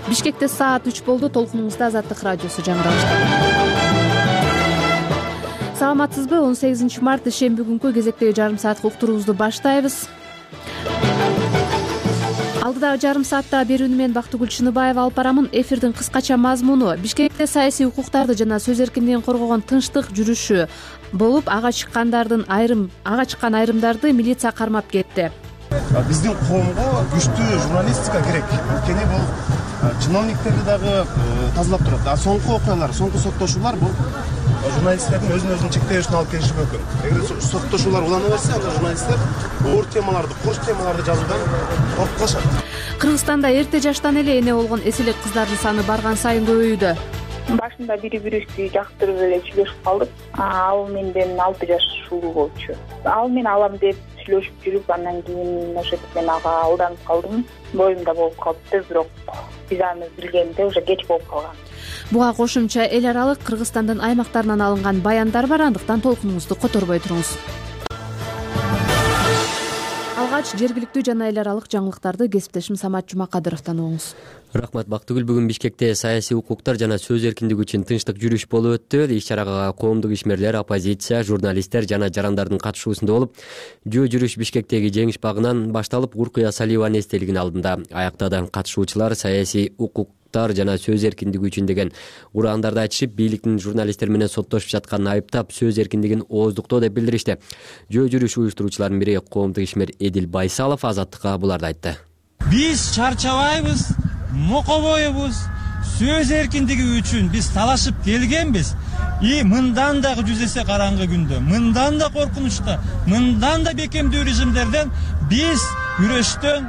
Бишкекте саат 3 болду. Толкунуңузда Азаттык радиосу жаңырашты. Саламатсызбы? 18 март ишемби күнкү кезектеги жарым саатка уктуруубузду баштайбыз. Алдыдагы жарым саатта берүүнү мен Бактыгүл Чыныбаева алып барамын. Эфирдин кыскача мазмуну: Бишкекте саясий укуктарды жана сөз эркиндигин коргогон тынчтык жүрүшү болуп, ага чыккан айрымдарды милиция кармап кетти. Биздин коомго күчтүү журналистика керек. Анткени бул чиновниктерди дагы тазалап турат. Соңку окуялар, соңку соттошуулар бул журналисттердин өзүн чектешине алып келиши мүмкүн. Эгер соттошуулар улана берсе, анда журналисттер оор темаларды, кош темаларды жазуудан коркуп калышат. Кыргызстанда эрте жаштан эле эне болгон эселек кыздардын саны барган сайын көбөйүүдө. Башында бири-бирибизди жактырып эле сүйлөшүп калдык. Ал менден 6 жаш улуу болчу. Ал мен алам деп сүйлөшүп жүрүп, андан кийин ошентип мен ага алданып калдым. Боюмда болуп калыптыр, бирок биз аны билгенде уже кеч болуп калган. Буга кошумча эл аралык Кыргызстандын аймактарынан алынган баяндар бар, андыктан толкунуңузду которбой туруңуз. Алгач жергиликтүү жана эл аралык жаңылыктарды кесиптешим Самат Жумакадыровдон угуңуз. Рахмат Бактыгүл. Бүгүн Бишкекте саясий укуктар жана сөз эркиндиги үчүн тынчтык жүрүш болуп өттү. Иш-чарага коомдук ишмерлер, оппозиция, журналисттер жана жарандардын катышуусунда болуп, жүрүш Бишкектеги жеңиш багынан башталып, Уркуя Салиеванын эстелигинин алдында аяктады. Катышуучулар саясий укуктар жана сөз эркиндиги үчүн деген ураандарды айтышып, бийликтин журналисттер менен соттошуп жатканын айыптап, сөз эркиндигин ооздуктоо деп билдиришти. Жүрүш уюштуруучуларынын бири коомдук ишмер Эдил Байсалов Азаттыкка буларды айтты. Биз чарчабайбыз, мокобойбуз, сөз эркиндиги үчүн биз талашып келгенбиз. Мындан дагы жүз эсе караңгы күндө, мындан да коркунучта, мындан да бекемдүү режимдерден биз күрөштөн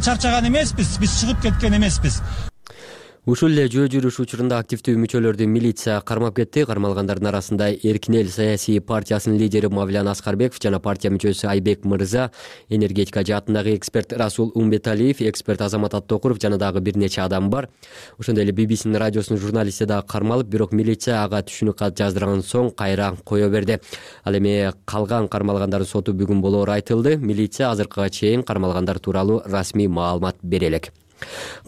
чарчаган эмеспиз, биз чыгып кеткен эмеспиз. Ушул эле жүрүш учурунда активдүү мүчөлөрдү милиция кармап кетти. Кармалгандардын арасында Эркин эл саясий партиясынын лидери Мавлян Аскарбеков жана партия мүчөсү Айбек Мырза, энергетика жаатындагы эксперт Расул Умбеталиев, эксперт Азамат Аттокуров жана дагы бир нече адам бар. Ошондой эле BBC радиосунун журналисти дагы кармалып, бирок милиция ага түшүнүк кат жаздырган соң кайра кое берди. Ал эми калган кармалгандардын соту бүгүн болоору айтылды. Милиция азыркыга чейин кармалгандар тууралуу расмий маалымат бере элек.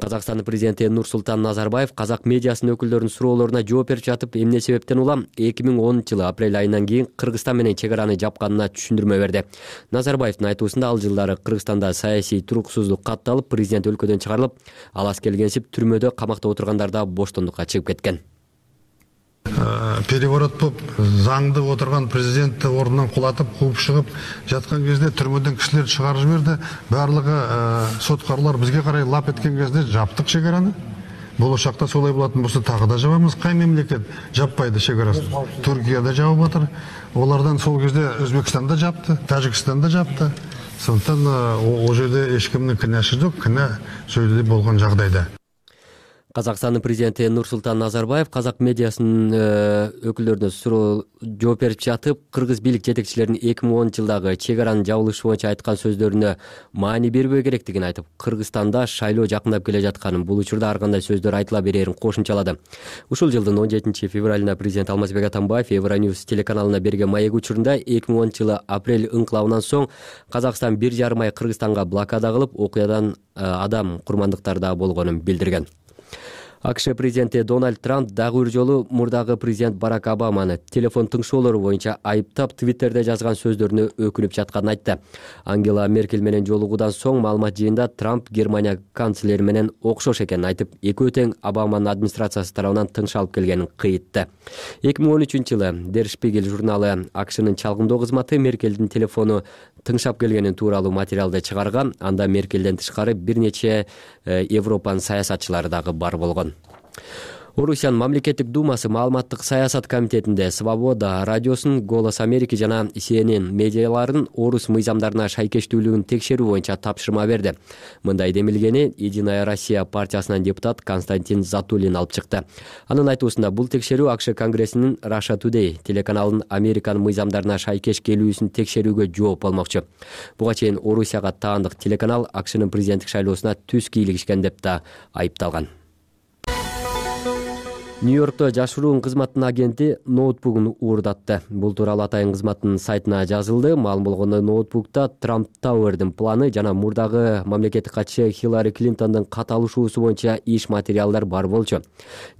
Казакстандын президенти Нурсултан Назарбаев казак медиасынын өкүлдөрүнүн суроолоруна жооп берип жатып, эмне себептен улам 2010-жылы апрель айынан кийин Кыргызстан менен чек араны жапканына түшүндүрмө берди. Назарбаевдин айтуусунда ал жылдары Кыргызстанда саясий туруксуздук катталып, президент өлкөдөн чыгарылып, ал аз келгенсип түрмөдө камакта отургандар да боштондукка чыгып кеткен. Переворот болуп, заңды отурган президентти ордунан кулатып, кууп чыгып жаткан кезде түрмөдөн кишилер чыгарып жиберди. Барлыгы соткарлар бизге карай лап эткен кезде жаптык чек араны. Болочакта солай болатын болсо дагы да жабабыз. Кай мемлекет жаппайды чек арасын? Түркияда жабып атыр. Олардан сол кезде Өзбекстанда жапты, Тажикстанда жапты. Сондықтан о жерде эч кимдин кінәсі жок, кінә сөйдө болгон жагдайда. Казакстандын президенти Нурсултан Назарбаев казак медиасынын өкүлдөрүнө суроо жооп берип жатып, кыргыз бийлик жетекчилеринин 2010-жылдагы чек аранын жабылышы боюнча айткан сөздөрүнө маани бербөө керектигин айтып, Кыргызстанда шайлоо жакындап келе жатканын, бул учурда ар кандай сөздөр айтыла берерин кошумчалады. Ушул жылдын 17-февралында президент Алмазбек Атамбаев Евроньюз телеканалына берген маек учурунда 2010-жылы апрель ыңкылабынан соң Казакстан 1,5 ай Кыргызстанга блокада кылып, окуядан адам курмандыктары да болгонун билдирген. АКШ президенти Дональд Трамп дагы бир жолу мурдагы президент Барак Обаманы телефон тыңшоолору боюнча айыптап, Твиттерде жазган сөздөрүнө өкүнүп жатканын айтты. Ангела Меркель менен жолугуудан соң маалымат жыйында Трамп Германия канцлери менен окшош экенин айтып, экөө тең Обаманын администрациясы тарабынан тыңшалып келгенин кыйытты. 2013-жылы Der Spiegel журналы АКШнын чалгындоо кызматы Меркелдин телефону тыңшап келгенин тууралуу материалды чыгарган. Анда Меркелден тышкары бир нече Европанын саясатчылары дагы бар болгон. Орусиянын мамлекеттик думасы маалыматтык саясат комитетинде Свобода радиосунун, Голос Америки жана CNN медиаларынын орус мыйзамдарына шайкештүүлүгүн текшерүү боюнча тапшырма берди. Мындай демилгени Единая Россия партиясынан депутат Константин Затулин алып чыкты. Анын айтуусунда бул текшерүү АКШ Конгрессинин Russia Today телеканалынын Американын мыйзамдарына шайкеш келүүсүн текшерүүгө жооп болмокчу. Буга чейин Орусияга таандык телеканал АКШнын президенттик шайлоосуна түз кийлигишкен деп да айыпталган. Нью-Йоркто жашыруун кызматтын агенти ноутбугун уурдатты. Бул тууралуу атайын кызматтын сайтына жазылды. Маалым болгондой, ноутбукта Трамп Тауэрдин планы жана мурдагы мамлекеттик катчы Хиллари Клинтондун каталышуусу боюнча иш материалдар бар болчу.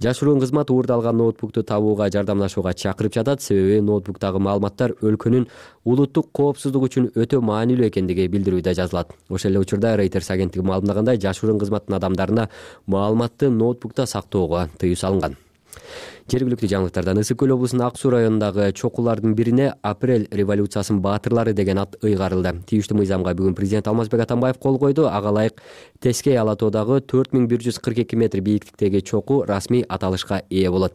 Жашыруун кызмат уурдалган ноутбукту табууга жардамдашууга чакырып жатат. Себеби ноутбуктагы маалыматтар өлкөнүн улуттук коопсуздугу үчүн өтө маанилүү экендиги билдирүүдө жазылат. Ошол эле учурда Reuters агенттиги маалымдагандай, жашыруун кызматтын адамдарына маалыматты ноутбукта сактоого тыюу салынган. Жергиликтүү жаңылыктардан Ысык көл облусунун Ак Суу районундагы чокулардын бирине Апрель революциясынын баатырлары деген ат ыйгарылды. Тийиштүү мыйзамга бүгүн президент Алмазбек Атамбаев кол койду. Ага ылайык Тескей ала тоодагы 4142 метр бийиктиктеги чоку расмий аталышка ээ болот.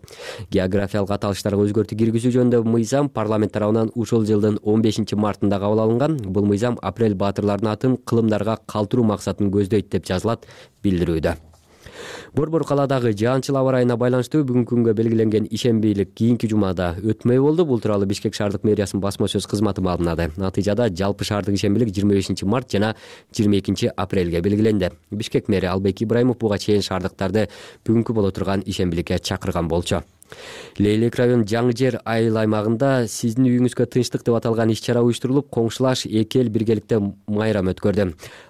Географиялык аталыштарга өзгөртүү киргизүү жөнүндөгү мыйзам парламент тарабынан ушул жылдын 15 мартында кабыл алынган. Бул мыйзам Апрель баатырларынын атын кылымдарга калтыруу максатын көздөйт деп жазылат билдирүүдө. Борбор калаадагы жаанчыл аба ырайына байланыштуу бүгүнкү күнгө белгиленген ишембийлик кийинки жумада өтмөй болду. Бул тууралуу Бишкек шаардык мэриясынын басма сөз кызматы маалымдады. Натыйжада жалпы шаардык ишембийлик 25 март жана 22 апрелге белгиленди. Бишкек мэри Албек Ибраимов буга чейин шаардыктарды бүгүнкү боло турган ишембийликке чакырган болчу. Лейлек район Жаңы жер айыл аймагында сиздин үйүңүзгө тынчтык деп аталган иш-чара уюштурулуп, коңшулаш эки эл биргеликте майрам өткөрдү.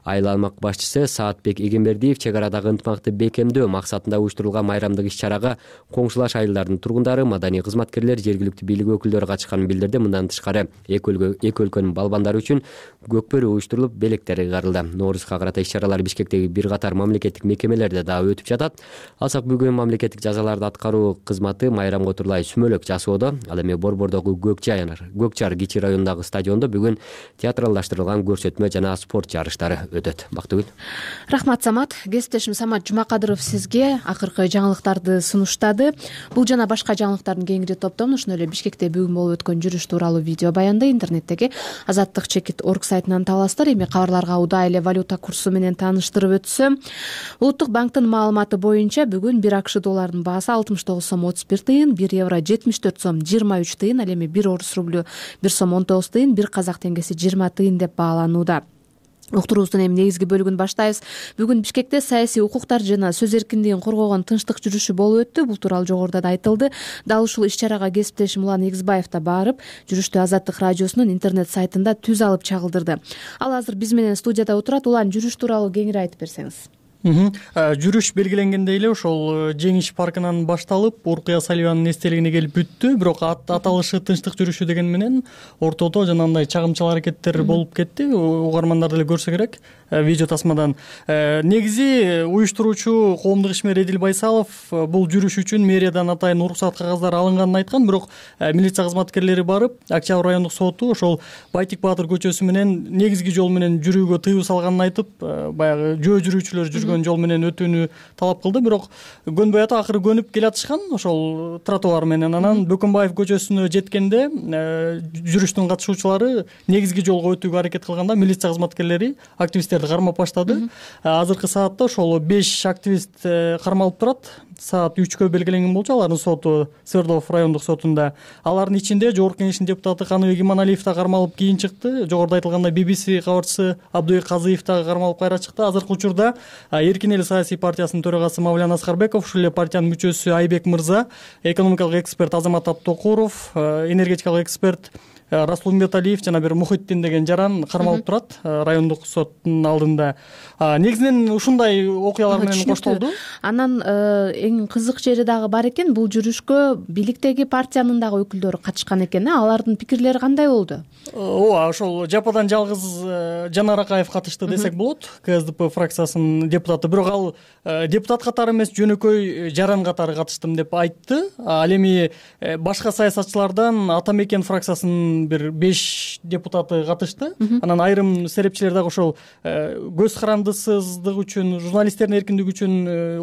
Айыл аймак башчысы Саатбек Эгембердиев чек арадагы ынтымакты бекемдөө максатында уюштурулган майрамдык иш-чарага коңшулаш айылдардын тургундары, маданий кызматкерлер, жергиликтүү бийлик өкүлдөрү катышканын билдирди. Мындан тышкары эки өлкөнүн балбандары үчүн көкбөрү уюштурулуп, белектер ыйгарылды. Ноорузга карата иш-чаралар Бишкектеги бир катар мамлекеттик мекемелерде дагы өтүп жатат. Алсак бүгүн мамлекеттик жазаларды аткаруу кызматы майрамга отурлай сүмөлөк жасоодо. Ал эми Борбордогу Көкчар кичи районундагы стадиондо бүгүн театралдаштырылган көрсөтмө жана спорт жарыштары өтөт. Бактыгүл. Рахмат, Самат. Кесиптешим Самат Жумакадыров сизге акыркы жаңылыктарды сунуштады. Бул жана башка жаңылыктардын кеңири топтомун ошондой эле Бишкекте бүгүн болуп өткөн жүрүш тууралуу видео баянды интернеттеги azattik.org сайтынан табасыздар. Эми кабарларга удаа эле валюта курсу менен тааныштырып өтсөм, Улуттук банктын маалыматы боюнча бүгүн 1 АКШ долларынын баасы 69 сом 31 тыйын, 1 евро 74 сом 23 тыйын, ал эми 1 орус рублю 1 сом 19 тыйын, 1 казак теңгеси 20 тыйын деп бааланууда. Уктуруубуздун эми негизги бөлүгүн баштайбыз. Бүгүн Бишкекте саясий укуктар жана сөз эркиндигин коргогон тынчтык жүрүшү болуп өттү. Бул тууралуу жогоруда да айтылды. Дал ушул иш-чарага кесиптешим Улан Эгизбаев да барып, жүрүштү Азаттык радиосунун интернет сайтында түз алып чагылдырды. Ал азыр биз менен студияда отурат. Улан, жүрүш тууралуу кеңири айтып берсеңиз. Жүрүш белгиленгендей эле ошол Жеңиш паркынан башталып, Уркуя Салиеванын эстелигине келип бүттү. Бирок аталышы тынчтык жүрүшү деген менен ортодо жанагындай чагымчыл аракеттер болуп кетти. Угармандар деле көрсө керек видео тасмадан. Негизи уюштуруучу коомдук ишмер Эдил Байсалов бул жүрүш үчүн мэриядан атайын уруксат кагаздары алынганын айткан, бирок милиция кызматкерлери барып, Октябрь райондук соту ошол Байтик Баатыр көчөсү менен негизги жол менен жүрүүгө тыюу салганын айтып, баягы жөө жүрүүчүлөр жүргөн жол менен өтүүнү талап кылды. Бирок көнбөй атып, акыры көнүп келатышкан ошол тротуар менен. Анан Бөкөнбаев көчөсүнө жеткенде жүрүштүн катышуучулары негизги жолго өтүүгө аракет кылганда милиция кызматкерлери активисттерди кармап баштады. Азыркы саатта ошол 5 активист кармалып турат. Саат 3кө белгиленген болчу. Алардын соту Свердлов райондук сотунда. Алардын ичинде Жогорку Кеңештин депутаты Каныбек Иманалиев да кармалып кийин чыкты. Жогоруда айтылгандай BBC кабарчысы Абдыбек Казыев да кармалып кайра чыкты. Азыркы учурда Эркин эл саясий партиясынын төрагасы Мавлян Аскарбеков, ушул эле партиянын мүчөсү Айбек Мырза, экономикалык эксперт Азамат Абтокуров, энергетикалык эксперт Расул Умбеталиев жана бир Мухиттин деген жаран кармалып турат райондук соттун алдында. Негизинен ушундай окуялар менен коштолду. Анан эң кызык жери дагы бар экен. Бул жүрүшкө бийликтеги партиянын дагы өкүлдөрү катышкан экен. Алардын пикирлери кандай болду? Ооба, ошол жападан жалгыз Жанар Акаев катышты десек болот. КСДП фракциясынын депутаты. Бирок ал депутат катары эмес, жөнөкөй жаран катары катыштым деп айтты. Ал эми башка саясатчылардан Ата Мекен фракциясынын бир 5 депутаты катышты. Анан айрым серепчилер дагы ошол көз карандысыздык үчүн, журналисттердин эркиндиги үчүн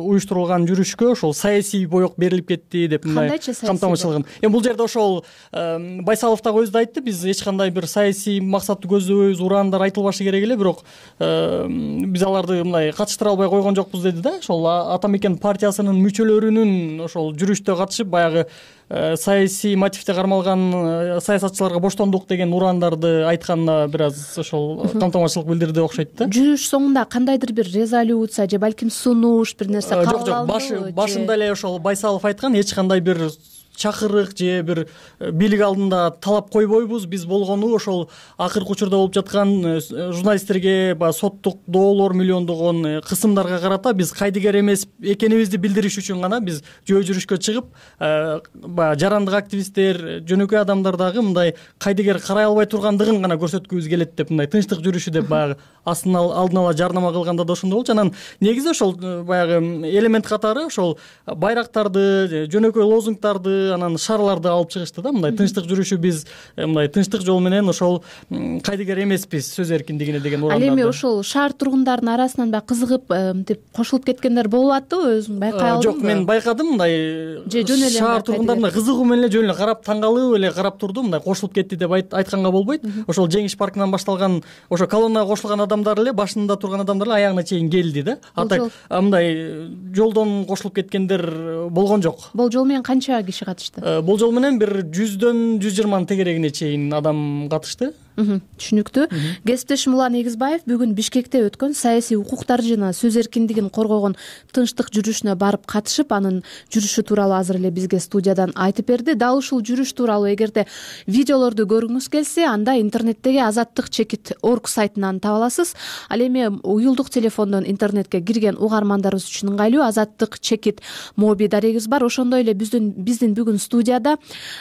уюштурулган жүрүшкө ошол саясий боек берилип кетти деп мындай камтамашылыгын. Бул жерде ошол Байсалов дагы өзү да айтты, биз эч кандай бир саясий максатты көздөбөйбүз, ураандар айтылбашы керек эле, бирок биз аларды мындай катыштыра албай койгон жокпуз деди да. Ошол Ата Мекен партиясынын мүчөлөрүнүн ошол жүрүштө катышып, баягы саясий мотивде кармалган саясатчыларга боштондук деген урандарды айтканына бир аз ошол камтамашылык билдирди окшойт да. Жүрүш соңунда кандайдыр бир резолюция же балким сунуш бир нерсе кабыл алынды? Жок, башында эле ошол Байсалов айткан, эч кандай бир чакырык же бир бийлик алдында талап койбойбуз. Биз болгону ошол акыркы учурда болуп жаткан журналисттерге баягы соттук доолор миллиондогон кысымдарга карата биз кайдыгер эмес экенибизди билдириш үчүн гана биз жөө жүрүшкө чыгып, баягы жарандык активисттер, жөнөкөй адамдар дагы мындай кайдыгер карай албай тургандыгын гана көрсөткүбүз келет деп, мындай тынчтык жүрүшү деп баягы алдын ала жарнама кылганда да ошондой болчу. Анан негизи ошол баягы элемент катары ошол байрактарды, жөнөкөй лозунгдарды, анан шарларды алып чыгышты да. Мындай тынчтык жүрүшү биз мындай тынчтык жол менен ошол кайдыгер эмеспиз сөз эркиндигине деген урандарды. Ал эми ошол шаар тургундарынын арасынан баягы кызыгып деп кошулуп кеткендер болуп аттыбы? Өзүң байкай алдыңбы? Жок, мен байкадым. Мындай шаар тургундарына кызыгуу менен эле жөн эле карап, таң калып эле карап турду. Мындай кошулуп кетти деп айтканга болбойт. Ошол Жеңиш паркынан башталган ошо колоннага кошулган адамдар эле, башында турган адамдар эле аягына чейин келди да. А так мындай жолдон кошулуп кеткендер болгон жок. Болжол менен канча киши катышты? Болжол менен бир 100дөн 120 тегерегине чейин адам катышты. Түшүнүктүү. Кесиптешим Улан Эгизбаев бүгүн Бишкекте өткөн саясий укуктар жана сөз эркиндигин коргогон тынчтык жүрүшүнө барып катышып, анын жүрүшү тууралуу азыр эле бизге студиядан айтып берди. Дал ушул жүрүш тууралуу эгерде видеолорду көргүңүз келсе, анда интернеттеги azattik.org сайтынан таба аласыз. Ал эми уюлдук телефондон интернетке кирген угармандарыбыз үчүн ыңгайлуу azattik.mobi дарегибиз бар. Ошондой эле биздин бүгүн студияда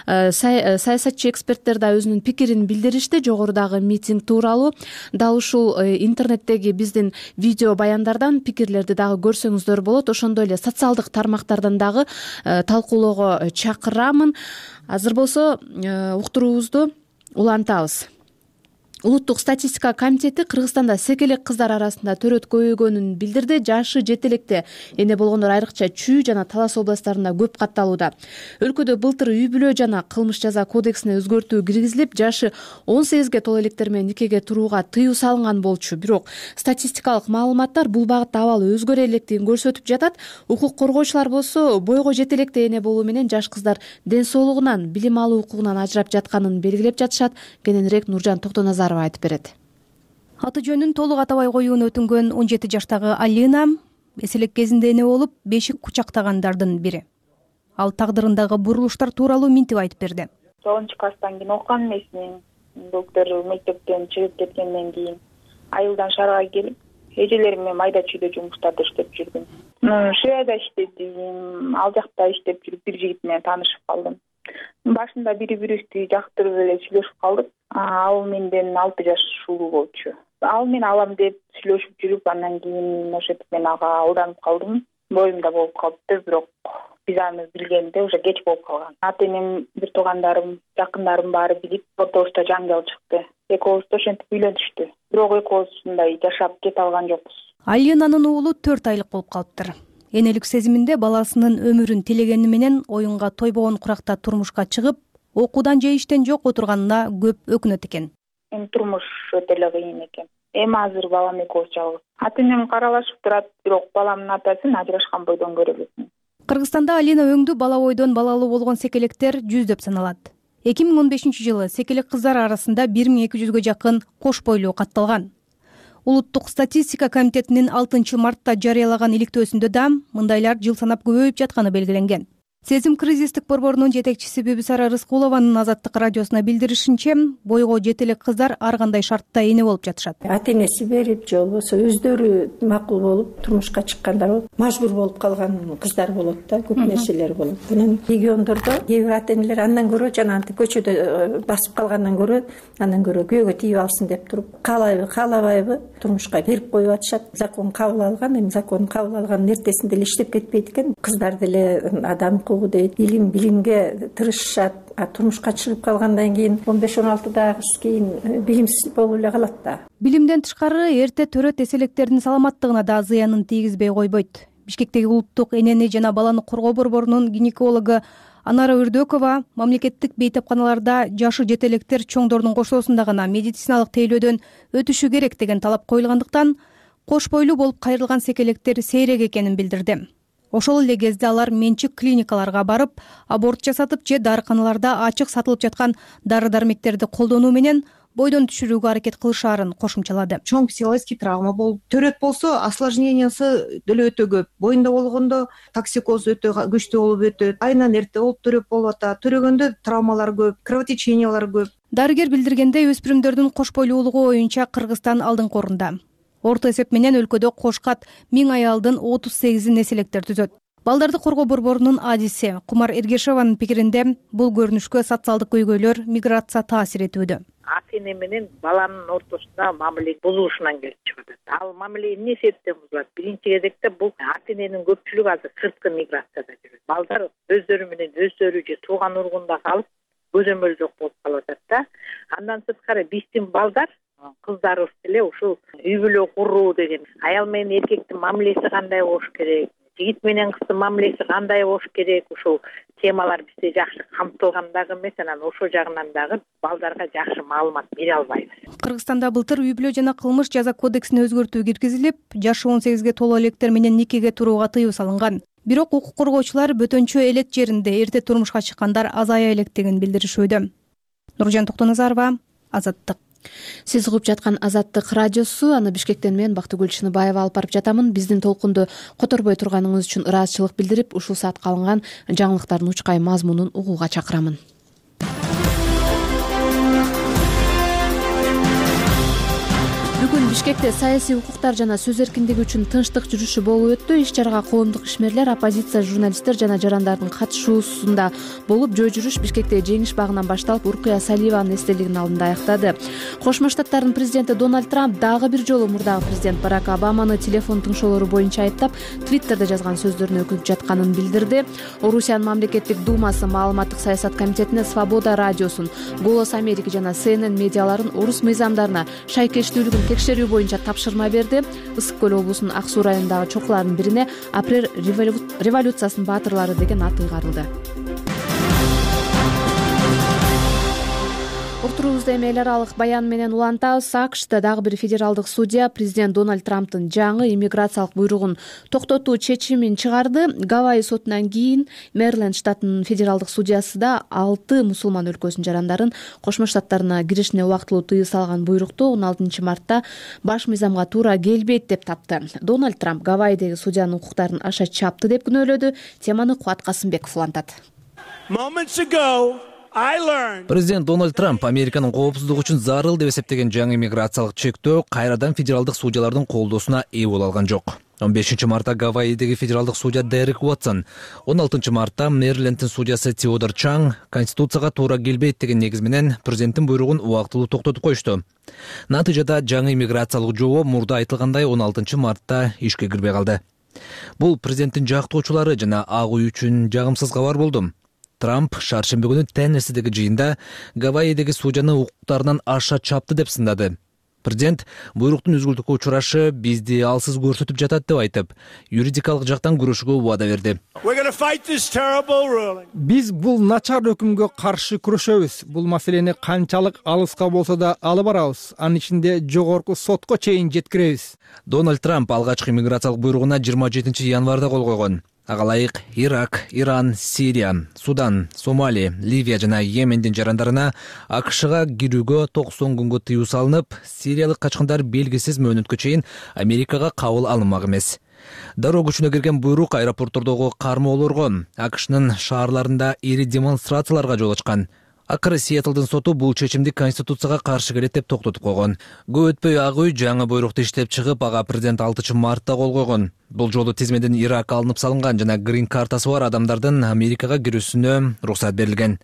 саясатчы эксперттер да өзүнүн пикирин билдиришти жогорудагы митинг тууралуу. Дал ушул интернеттеги биздин видео баяндардан пикирлерди дагы көрсөңүздөр болот. Ошондой эле социалдык тармактардан дагы талкуулоого чакырамын. Азыр болсо уктуруубузду улантабыз. Улуттук статистика комитети Кыргызстанда секелек кыздар арасында төрөт көбөйгөнүн билдирди. Жашы жетелекте эне болгондор айрыкча Чүй жана Талас областарында көп катталууда. Өлкөдө былтыр үй бүлө жана кылмыш жаза кодексине өзгөртүү киргизилип, жашы 18ге толо электер менен никеге турууга тыюу салынган болчу. Бирок статистикалык маалыматтар бул багытта абал өзгөрө электигин көрсөтүп жатат. Укук коргоочулар болсо бойго жетелекте эне болуу менен жаш кыздар ден соолугунан, билим алуу укугунан ажырап жатканын белгилеп жатышат. Кененирээк Нуржан Токтоназаров айтып берет. Аты жөнүн толук атабай коюуну өтүнгөн 17 жаштагы Алина эселек кезинде эне болуп, бешик кучактагандардын бири. Ал тагдырындагы бурулуштар тууралуу минтип айтып берди. 9-класстан кийин окуган эмесмин. Доктор мектептен чыгып кеткенден кийин айылдан шаарга келип, эжелерим менен майда чүйдө жумуштарда иштеп жүрдүм. Швеяда иштедим, ал жакта иштеп жүрүп бир жигит менен таанышып калдым. Башында бири-бирибизди жактырып эле сүйлөшүп калдык. Ал менден 6 жаш улуу болчу. Ал мен алам деп сүйлөшүп жүрүп, андан кийин ошентип мен ага алданып калдым. Боюмда болуп калыптыр, бирок биз аны билгенде уже кеч болуп калган. Ата-энем, бир туугандарым, жакындарым баары билип, ортобузда жаңжал чыкты. Экөөбүз ошентип үйлөнүштү. Бирок экөөбүз мындай жашап кете алган жокпуз. Алинанын уулу 4 айлык болуп калыптыр. Энелик сезиминде баласынын өмүрүн тилегени менен оюнга тойбогон куракта турмушка чыгып, окуудан же иштен жок отурганына көп өкүнөт экен. Турмуш өтө эле кыйын экен. Эми азыр балам экөөбүз жалгыз. Ата-энем каралашып турат, бирок баламдын атасын ажырашкан бойдон көрө элесиң. Кыргызстанда Алина өңдүү бала бойдон балалуу болгон секелектер жүздөп саналат. 2015-жылы секелек кыздар арасында 1200-гө жакын кош бойлуу катталган. Улуттук статистика комитетинин 6-мартта жарыялаган иликтөөсүндө да мындайлар жыл санап көбөйүп жатканы белгиленген. Сезим кризистик борборунун жетекчиси Бибисара Рыскулованын Азаттык радиосуна билдиришинче, бойго жетелек кыздар ар кандай шартта эне болуп жатышат. Ата-энеси берип же болбосо өздөрү макул болуп турмушка чыккандар болуп, мажбур болуп калган кыздар болот да, көп нерселер болот. Анан региондордо кээ бир ата-энелер андан көрө жанагынтип көчөдө басып калгандан көрө, андан көрө күйөөгө тийип алсын деп туруп, каалайбы, каалабайбы турмушка берип коюп атышат. Закон кабыл алган, эми закон кабыл алганын эртесинде эле иштеп кетпейт экен. Кыздар деле адам дейт, билимге тырышышат. Турмушка чыгып калгандан кийин 15-16 кийин билимсиз болуп эле калат да. Билимден тышкары эрте төрөт эселектердин саламаттыгына да зыянын тийгизбей койбойт. Бишкектеги улуттук энени жана баланы коргоо борборунун гинекологу Анара Үрдөкова мамлекеттик бейтапканаларда жашы жетелектер чоңдордун кошоосунда гана медициналык тейлөөдөн өтүшү керек деген талап коюлгандыктан кош бойлуу болуп кайрылган секелектер сейрек экенин билдирди. Ошол эле кезде алар менчик клиникаларга барып, аборт жасатып же дарыканаларда ачык сатылып жаткан дары-дармектерди колдонуу менен бойдон түшүрүүгө аракет кылышаарын кошумчалады. Чоң психологический травма болуп, төрөт болсо осложнениясы деле өтө көп. Боюнда болгондо токсикоз өтө күчтүү болуп өтөт. Айынан эрте болуп төрөп болуп атат. Төрөгөндө травмалар көп, кровотечениялар көп. Дарыгер билдиргендей, өспүрүмдөрдүн кош бойлуулугу боюнча Кыргызстан алдыңкы орунда. Орто эсеп менен өлкөдө кошкат 1000 аялдын 38 неселектер түзөт. Балдарды коргоо борборунун адиси Кумар Эргешеванын пикиринде, бул көрүнүшкө социалдык көйгөйлөр, миграция таасир этүүдө. Ата-эне менен баланын ортосунда мамиле бузулушунан келип чыгат. Ал мамиле эмне себептен бузулат? Биринчи кезекте бул ата-эненин көпчүлүгү азыр сырткы миграцияда жүрөт. Балдар өздөрү менен өздөрү же тууган ургунда калып, көзөмөл жок болуп калып атат да. Андан сырткары биздин балдар, кыздарыбыз деле ушул үй бүлө куруу деген, аял менен эркектин мамилеси кандай болуш керек, жигит менен кыздын мамилеси кандай болуш керек, ушул темалар бизде жакшы камтылган дагы эмес, анан ошол жагынан дагы балдарга жакшы маалымат бере албайбыз. Кыргызстанда былтыр үй бүлө жана кылмыш жаза кодексине өзгөртүү киргизилип, жашы 18ге толо электер менен никеге турууга тыюу салынган. Бирок укук коргоочулар бөтөнчө элет жеринде эрте турмушка чыккандар азая электигин билдиришүүдө. Нуржан Токтоназарова, Азаттык. Сиз угуп жаткан Азаттык радиосу, аны Бишкектен мен Бактыгүл Чыныбаева алып барып жатамын. Биздин толкунду которбой турганыңыз үчүн ыраазычылык билдирип, ушул саатка алынган жаңылыктардын учкай мазмунун угууга чакырамын. Бүгүн Бишкекте саясий укуктар жана сөз эркиндиги үчүн тынчтык жүрүшү болуп өттү. Иш-чарага коомдук ишмерлер, оппозиция журналисттер жана жарандардын катышуусунда болуп, жөө жүрүш Бишкекте Жеңиш багынан башталып, Уркуя Салиеванын эстелигинин алдында аяктады. Кошмо Штаттардын президенти Дональд Трамп дагы бир жолу мурдагы президент Барак Обаманы телефон тыңшоолору боюнча айыптап, Твиттерде жазган сөздөрүнө өкүнүп жатканын билдирди. Орусиянын мамлекеттик думасы маалыматтык саясат комитетине Свобода радиосун, Голос Америки жана CNN медиаларын орус мыйзамдарына шайкештүүлүгүн текшерүү боюнча тапшырма берди. Ысык көл облусунун Ак Суу районундагы чокулардын бирине апрель революциясынын баатырлары деген ат ыйгарылды. Отурубузду эми эл аралык баян менен улантабыз. АКШда дагы бир федералдык судья президент Дональд Трамптын жаңы иммиграциялык буйругун токтотуу чечимин чыгарды. Гавайи сотунан кийин Мэриленд штатынын федералдык судьясы да 6 мусулман өлкөсүнүн жарандарын Кошмо Штаттарына киришине убактылуу тыюу салган буйрукту 16 мартта баш мыйзамга туура келбейт деп тапты. Дональд Трамп Гавайидеги судьянын укуктарын аша чапты деп күнөөлөдү. Теманы Кубат Касымбеков улантат. Президент Дональд Трамп Американын коопсуздугу үчүн зарыл деп эсептеген жаңы иммиграциялык чектөө кайрадан федералдык судьялардын колдоосуна ээ боло алган жок. 15 мартта Гавайидеги федералдык судья Дерек Уотсон, 16 мартта Мэрилендтин судьясы Теодор Чанг Конституцияга туура келбейт деген негиз менен президенттин буйругун убактылуу токтотуп коюшту. Натыйжада жаңы иммиграциялык жобо мурда айтылгандай 16 мартта ишке кирбей калды. Бул президенттин жактоочулары жана ак үй үчүн жагымсыз кабар болду. Трамп шаршемби күнү Теннессидеги жыйында Гавайидеги судьяны укуктарынан аша чапты деп сындады. Президент буйруктун үзгүлтүккө учурашы бизди алсыз көрсөтүп жатат деп айтып, юридикалык жактан күрөшүүгө убада берди. Биз бул начар өкүмгө каршы күрөшөбүз. Бул маселени канчалык алыска болсо да алып барабыз. Анын ичинде жогорку сотко чейин жеткиребиз. Дональд Трамп алгачкы иммиграциялык буйругуна 27 январда кол койгон. Ага ылайык Ирак, Иран, Сирия, Судан, Сомали, Ливия жана Йемендин жарандарына АКШга кирүүгө 90 күнгө тыюу салынып, сириялык качкындар белгисиз мөөнөткө чейин Америкага кабыл алынмак эмес. Дароо күчүнө кирген буйрук аэропорттордогу кармоолорго, АКШнын шаарларында ири демонстрацияларга жол ачкан. Акыры Сиэтлдын соту бул чечимди Конституцияга каршы келет деп токтотуп койгон. Көп өтпөй ак үй жаңы буйрукту иштеп чыгып, ага президент 6 мартта кол койгон. Бул жолу тизмеден Ирак алынып салынган жана грин картасы бар адамдардын Америкага кирүүсүнө уруксат берилген.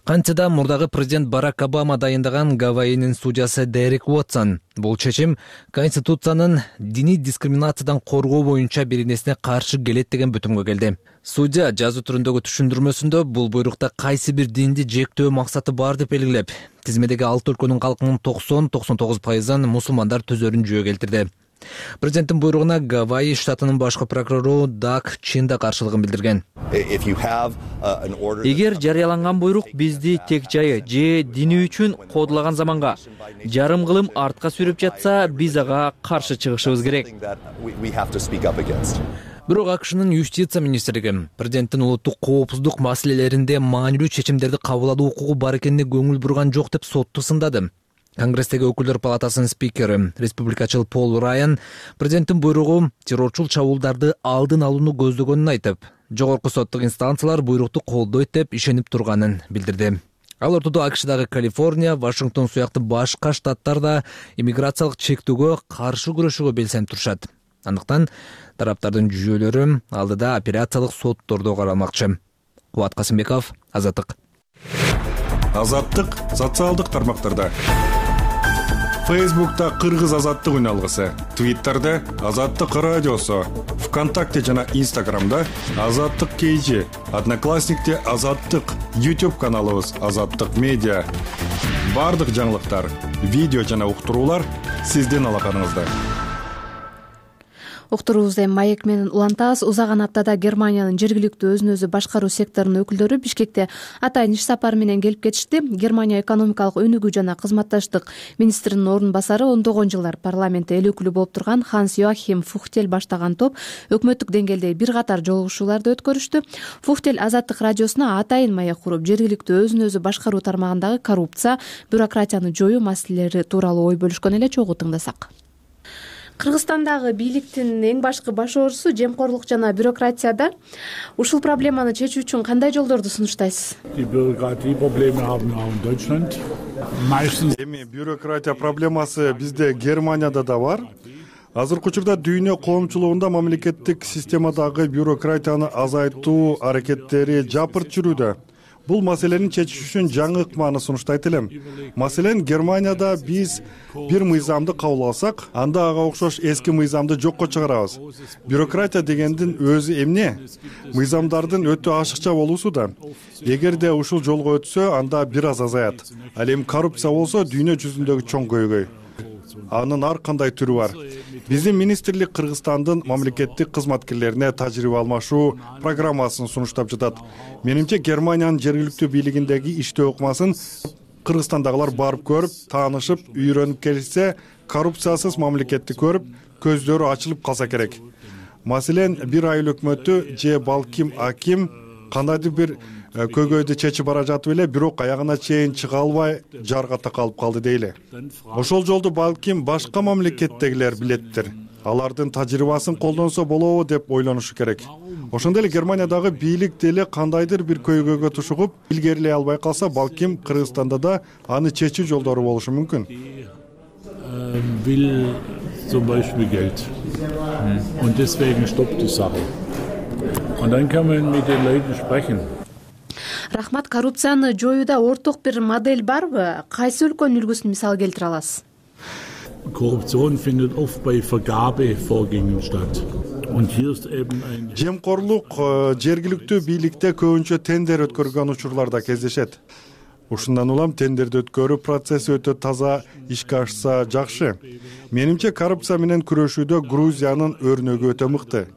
Кантсе да мурдагы президент Барак Обама дайындаган Гавайинин судьясы Дерек Уотсон бул чечим Конституциянын диний дискриминациядан коргоо боюнча беренесине каршы келет деген бүтүмгө келди. Судья жазуу түрүндөгү түшүндүрмөсүндө бул буйрукта кайсы бир динди жектөө максаты бар деп белгилеп, тизмедеги 6 өлкөнүн калкынын 90-99% мусулмандар төзөрүн жөө келтирди. Президенттин буйругуна Гавайи штатынын башкы прокурору Даг Чин да каршылыгын билдирген. Эгер жарыяланган буйрук бизди тек жайы же дини үчүн кодлаган заманга жарым кылым артка сүрүп жатса, биз ага каршы чыгышыбыз керек. Бирок АКШнын юстиция министрлиги президенттин улуттук коопсуздук маселелеринде маанилүү чечимдерди кабыл алуу укугу бар экенине көңүл бурган жок деп сотту сындады. Конгресстеги өкүлдөр палатасынын спикери, республикачыл Пол Райан президенттин буйругу террорчул чабуулдарды алдын алууну көздөгөнүн айтып, жогорку соттук инстанциялар буйрукту колдойт деп ишенип турганын билдирди. Ал ортодо АКШдагы Калифорния, Вашингтон сыяктуу башка штаттар да иммиграциялык чектөөгө каршы күрөшүүгө белсенип турушат. Андыктан тараптардын жүйөлөрү алдыда апелляциялык соттордо каралмакчы. Кубат Касымбеков, Азаттык. Азаттык социалдык тармактарда. Фейсбукта Кыргыз азаттык үналгысы, Твиттерде Азаттык радиосу, ВКонтакте жана Инстаграмда Азаттык KG, Одноклассникте Азаттык, YouTube каналыбыз Азаттык медиа. Бардык жаңылыктар, видео жана уктуруулар сиздин алаканыңызда. Уктуруубузду эми маек менен улантабыз. Узаган аптада Германиянын жергиликтүү өзүн өзү башкаруу секторунун өкүлдөрү Бишкекте атайын иш сапары менен келип кетишти. Германия экономикалык өнүгүү жана кызматташтык министринин орун басары ондогон жылдар парламентте эл өкүлү болуп турган Ханс Йоахим Фухтель баштаган топ өкмөттүк деңгээлдеги бир катар жолугушууларды өткөрүштү. Фухтель Азаттык радиосуна атайын маек куруп, жергиликтүү өзүн өзү башкаруу тармагындагы коррупция, бюрократияны жоюу маселелери тууралуу ой бөлүшкөн эле, чогуу тыңдасак. Кыргызстандагы бийликтин эң башкы баш оорусу жемкорлук жана бюрократияда. Ушул проблеманы чечүү үчүн кандай жолдорду сунуштайсыз? Эми бюрократия проблемасы бизде Германияда да бар. Азыркы учурда дүйнө коомчулугунда мамлекеттик системадагы бюрократияны азайтуу аракеттери жапырт жүрүүдө. Бул маселени чечиш үчүн жаңы ыкманы сунуштайт элем. Маселен, Германияда биз бир мыйзамды кабыл алсак, анда ага окшош эски мыйзамды жокко чыгарабыз. Бюрократия дегендин өзү эмне? Мыйзамдардын өтө ашыкча болуусу да. Эгерде ушул жолго өтсө, анда бир аз азаят. Ал эми коррупция болсо дүйнө жүзүндөгү чоң көйгөй. Анын ар кандай түрү бар. Биздин министрлик Кыргызстандын мамлекеттик кызматкерлерине тажрыйба алмашуу программасын сунуштап жатат. Менимче Германиянын жергиликтүү бийлигиндеги иштөө ыкмасын Кыргызстандагылар барып көрүп, таанышып, үйрөнүп келишсе, коррупциясыз мамлекетти көрүп, көздөрү ачылып калса керек. Маселен, бир айыл өкмөтү же балким аким кандайдыр бир көйгөйдү чечип бара жатып эле, бирок аягына чейин чыга албай жарга такалып калды дейли. Ошол жолду балким башка мамлекеттегилер билеттир. Алардын тажрыйбасын колдонсо болобу деп ойлонушу керек. Ошондой эле Германиядагы бийлик деле кандайдыр бир көйгөйгө тушугуп, илгерилей албай калса, балким Кыргызстанда да аны чечүү жолдору болушу мүмкүн. Zum Beispiel Geld. Und deswegen stoppt die Sache. Und dann kann man mit den Leuten sprechen. Рахмат. Коррупцияны жоюуда орток бир модель барбы? Кайсы өлкөнүн үлгүсүн мисал келтире аласыз? Korruption findet oft bei Vergabevorgängen statt. Und hier ist eben ein Жемкорлук жергиликтүү бийликте көбүнчө тендер өткөргөн учурларда кездешет. Ушундан улам тендерди өткөрүү процесси өтө таза ишке ашса жакшы. Менимче коррупция менен күрөшүүдө Грузиянын өрнөгү өтө мыкты.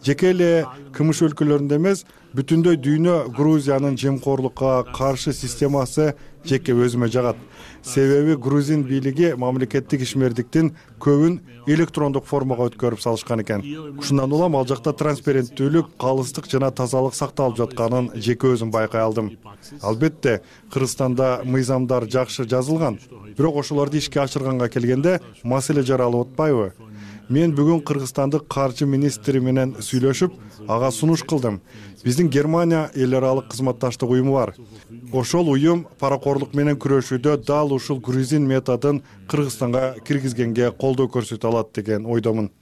Жеке эле КМШ өлкөлөрүндө эмес, бүтүндөй дүйнө Грузиянын жемкорлукка каршы системасы жеке өзүмө жагат. Себеби грузин бийлиги мамлекеттик ишмердиктин көбүн электрондук формага өткөрүп салышкан экен. Ушундан улам ал жакта транспаренттүүлүк, калыстык жана тазалык сакталып жатканын жеке өзүм байкай алдым. Албетте, Кыргызстанда мыйзамдар жакшы жазылган, бирок ошолорду ишке ашырганга келгенде маселе жаралып атпайбы? Мен бүгүн Кыргызстандык каржы министри менен сүйлөшүп, ага сунуш кылдым. Биздин Германия эл аралык кызматташтык уюму бар. Ошол уюм паракорлук менен күрөшүүдө дал ушул грузин методун Кыргызстанга киргизгенге колдоо көрсөтө алат деген ойдомун.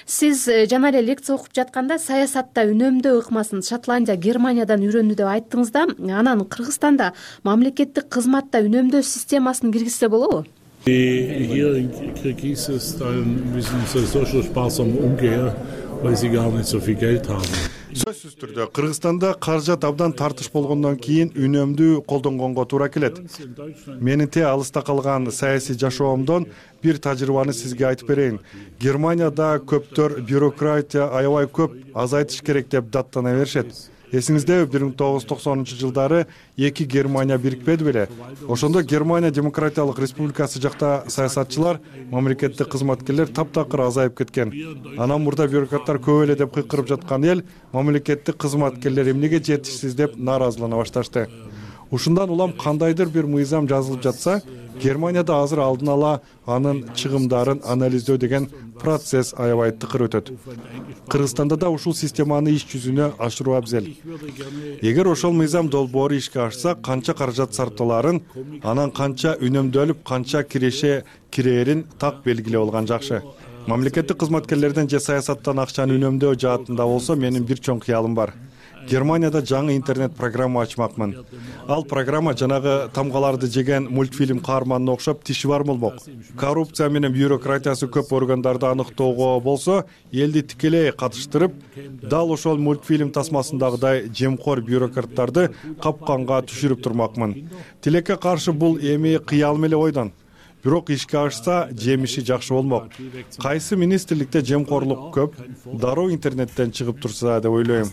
Сиз жана эле лекция окуп жатканда саясатта үнөмдөө ыкмасын Шотландия, Германиядан үйрөндү деп айттыңыз да, анан Кыргызстанда мамлекеттик кызматта үнөмдөө системасын киргизсе болобу? Hier in Kirgisistan dann müssen sie so sparsam umgehen, weil sie gar nicht so viel Geld haben. Сөзсүз түрдө Кыргызстанда каржат абдан тартыш болгондон кийин үнөмдүү колдонгонго туура келет. Менин те алыста калган саясий жашоомдон бир тажрыйбаны сизге айтып берейин. Германияда көптөр бюрократия аябай көп, азайтыш керек деп даттана беришет. Эсиңиздеби 1990-жылдары эки Германия бирикпеди беле? Ошондо Германия Демократиялык Республикасы жакта саясатчылар, мамлекеттик кызматкерлер таптакыр азайып кеткен. Анан мурда бюрократтар көп эле деп кыйкырып жаткан эл мамлекеттик кызматкерлер эмнеге жетишсиз деп нааразылана башташты. Ушундан улам кандайдыр бир мыйзам жазылып жатса, Германияда азыр алдын ала анын чыгымдарын анализдөө деген процесс аябай тыкыр өтөт. Кыргызстанда да ушул системаны иш жүзүнө ашыруу абзел. Эгер ошол мыйзам долбоору ишке ашса, канча каражат сарпталарын, анан канча үнөмдөлүп, канча кирээрин так белгилеп алган жакшы. Мамлекеттик кызматкерлерден же саясаттан акчаны үнөмдөө жаатында болсо, менин бир чоң кыялым бар. Германияда жаңы интернет программа ачмакмын. Ал программа жанагы тамгаларды жеген мультфильм каарманына окшоп тиши бар болмок. Коррупция менен бюрократиясы көп органдарды аныктоого болсо, элди тикелей катыштырып, дал ошол мультфильм тасмасындагыдай жемкор бюрократтарды капканга түшүрүп турмакмын. Тилекке каршы бул эми кыялым эле ойдон. Бирок ишке ашса, жемиши жакшы болмок. Кайсы министрликте жемкорлук көп, дароо интернеттен чыгып турса деп ойлойм.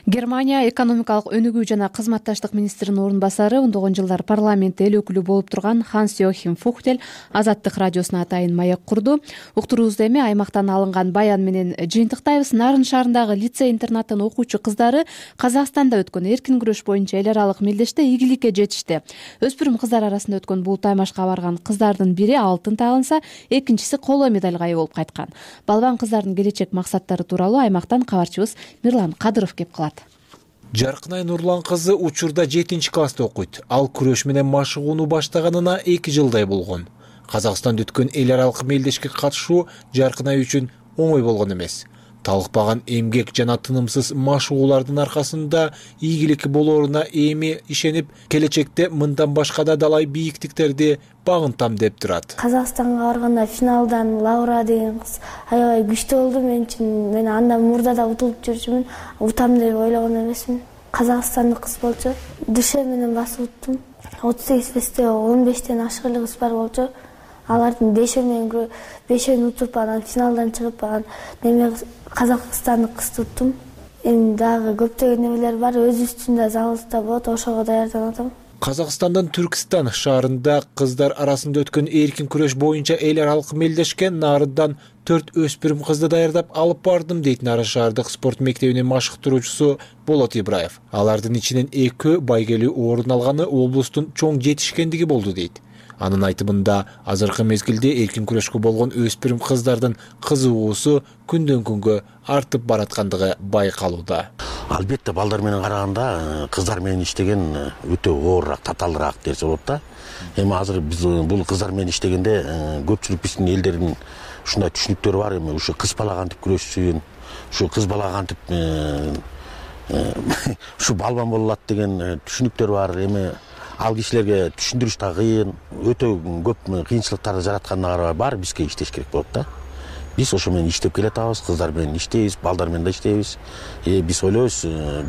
Германия экономикалык өнүгүү жана кызматташтык министринин орун басары, ондогон жылдар парламентте эл өкүлү болуп турган Ханс-Йохим Фухтель Азаттык радиосуна атайын маек курду. Уктуруубузду эми аймактан алынган баян менен жыйынтыктайбыз. Нарын шаарындагы лицей-интернаттын окуучу кыздары Казакстанда өткөн эркин күрөш боюнча эл аралык мелдеште ийгиликке жетишти. Өспүрүм кыздар арасында өткөн бул таймашка барган кыздардын бири алтын тагынса, экинчиси коло медалга ээ болуп кайткан. Балбан кыздардын келечек максаттары тууралуу аймактан кабарчыбыз Мирлан Кадыров кеп кылат. Жаркынай Нурлан кызы учурда 7-класста окуйт. Ал күрөш менен машыгууну баштаганына 2 жылдай болгон. Казакстанда өткөн эл аралык мелдешке катышуу Жаркынай үчүн оңой болгон эмес. Талыкпаган эмгек жана тынымсыз машыгуулардын аркасында ийгилик болооруна эми ишенип, келечекте мындан башка да далай бийиктиктерди багынтам деп турат. Казакстанга барганда финалдан Лаура деген кыз аябай күчтүү болду мен үчүн. Мен андан мурда да утулуп жүрчүмүн. Утам деп ойлогон эмесмин. Казакстандык кыз болчу. Дыше менен басып уттум. 38 весте 15тен ашык эле кыз бар болчу. Алардын 5-өн утуп, анан финалдан чыгып, анан неме казакстандык кызды уттум. Эми дагы көптөгөн немелер бар, өз үстүндө залда болот, ошого даярданып атам. Казакстандын Түркистан шаарында кыздар арасында өткөн эркин күрөш боюнча эл аралык мелдешке Нарындан 4 өспүрүм кызды даярдап алып бардым дейт Нарын шаардык спорт мектебинин машыктыруучусу Болот Ибраев. Алардын ичинен 2 байгелүү орун алганы облустун чоң жетишкендиги болду дейт. Анын айтымында азыркы мезгилде эркин күрөшкө болгон өспүрүм кыздардын кызыгуусу күндөн күнгө артып бараткандыгы байкалууда. Албетте балдар менен караганда кыздар менен иштеген өтө оорураак, татаалыраак десе болот да. Эми азыр биз бул кыздар менен иштегенде көпчүлүк биздин элдердин ушундай түшүнүктөрү бар. Эми ушу кыз бала кантип күрөшсүн, ушу кыз бала кантип ушу балбан боло алат деген түшүнүктөр бар. Эми ал кишилерге түшүндүрүш да кыйын, өтө көп кыйынчылыктарды жараткандары бар, бизге иштеш керек болот да. Биз ошо менен иштеп келатабыз, кыздар менен иштейбиз, балдар менен да иштейбиз. Биз ойлойбуз,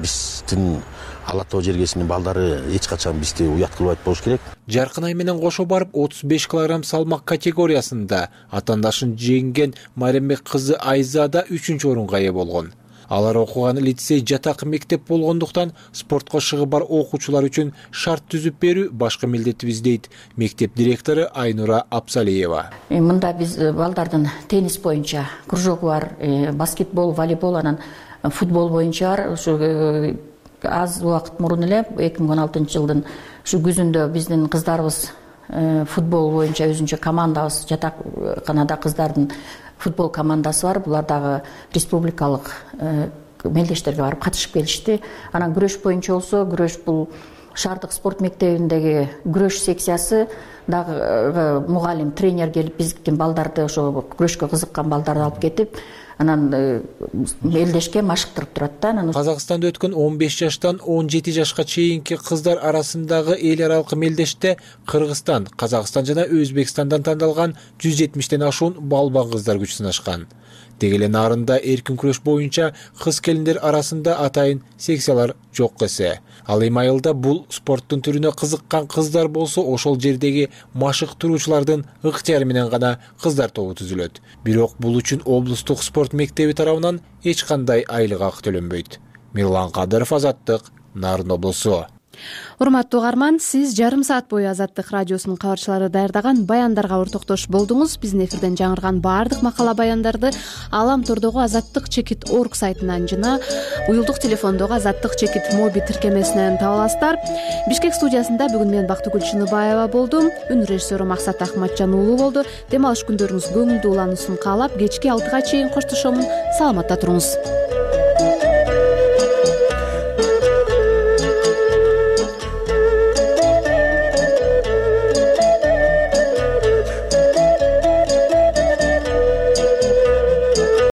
биздин Алла Тоо жергесинин балдары эч качан бизди уят кылбайт болуш керек. Жаркынай менен кошо барып 35 килограмм салмак категориясында атаандашын жеңген Марембек кызы Айза да 3-орунга ээ болгон. Алар окуган лицей жатак мектеп болгондуктан спортко шыгы бар окуучулар үчүн шарт түзүп берүү башкы милдетибиз дейт мектеп директору Айнура Апсалиева. Мында биз балдардын теннис боюнча кружогу бар, баскетбол, волейбол, анан футбол боюнча бар. Ушу аз убакыт мурун эле 2016 жылдын ушу күзүндө биздин кыздарыбыз футбол боюнча өзүнчө командабыз, жатаканада кыздардын футбол командасы бар. Булар дагы республикалык мелдештерге барып катышып келишти. Анан күрөш боюнча болсо, күрөш бул шаардык спорт мектебиндеги күрөш секциясы дагы мугалим, тренер келип биздин балдарды, ошо күрөшкө кызыккан балдарды алып кетип, анан мелдешке машыктырып турат да. Казакстанда өткөн 15 жаштан 17 жашка чейинки кыздар арасындагы эл аралык мелдеште Кыргызстан, Казакстан жана Өзбекстандан тандалган 170тен ашуун балбан кыздар күч сынашкан. Деги эле Нарында эркин күрөш боюнча кыз келиндер арасында атайын секциялар жок эсе. Ал эми айылда бул спорттун түрүнө кызыккан кыздар болсо, ошол жердеги машыктыруучулардын ыктыяры менен гана кыздар тобу түзүлөт. Бирок бул үчүн облустук спорт мектеби тарабынан эч кандай айлык акы төлөнбөйт. Мирлан Кадыров, Азаттык, Нарын облусу. Урматтуу угарман, сиз жарым саат бою Азаттык радиосунун кабарчылары даярдаган баяндарга ортоктош болдуңуз. Биздин эфирден жаңырган баардык макала баяндарды Алам тордогу azаттык-org сайтынан жана уюлдук телефондогу azаттык- моби тиркемесинен таба аласыздар. Бишкек студиясында бүгүн мен Бактыгүл Чыныбаева болдум. Үн режиссеру Максат Ахматжан уулу болду. Дем алыш күндөрүңүз көңүлдүү улануусун каалап, кечки 6-га чейин коштошомун. Саламатта туруңуз.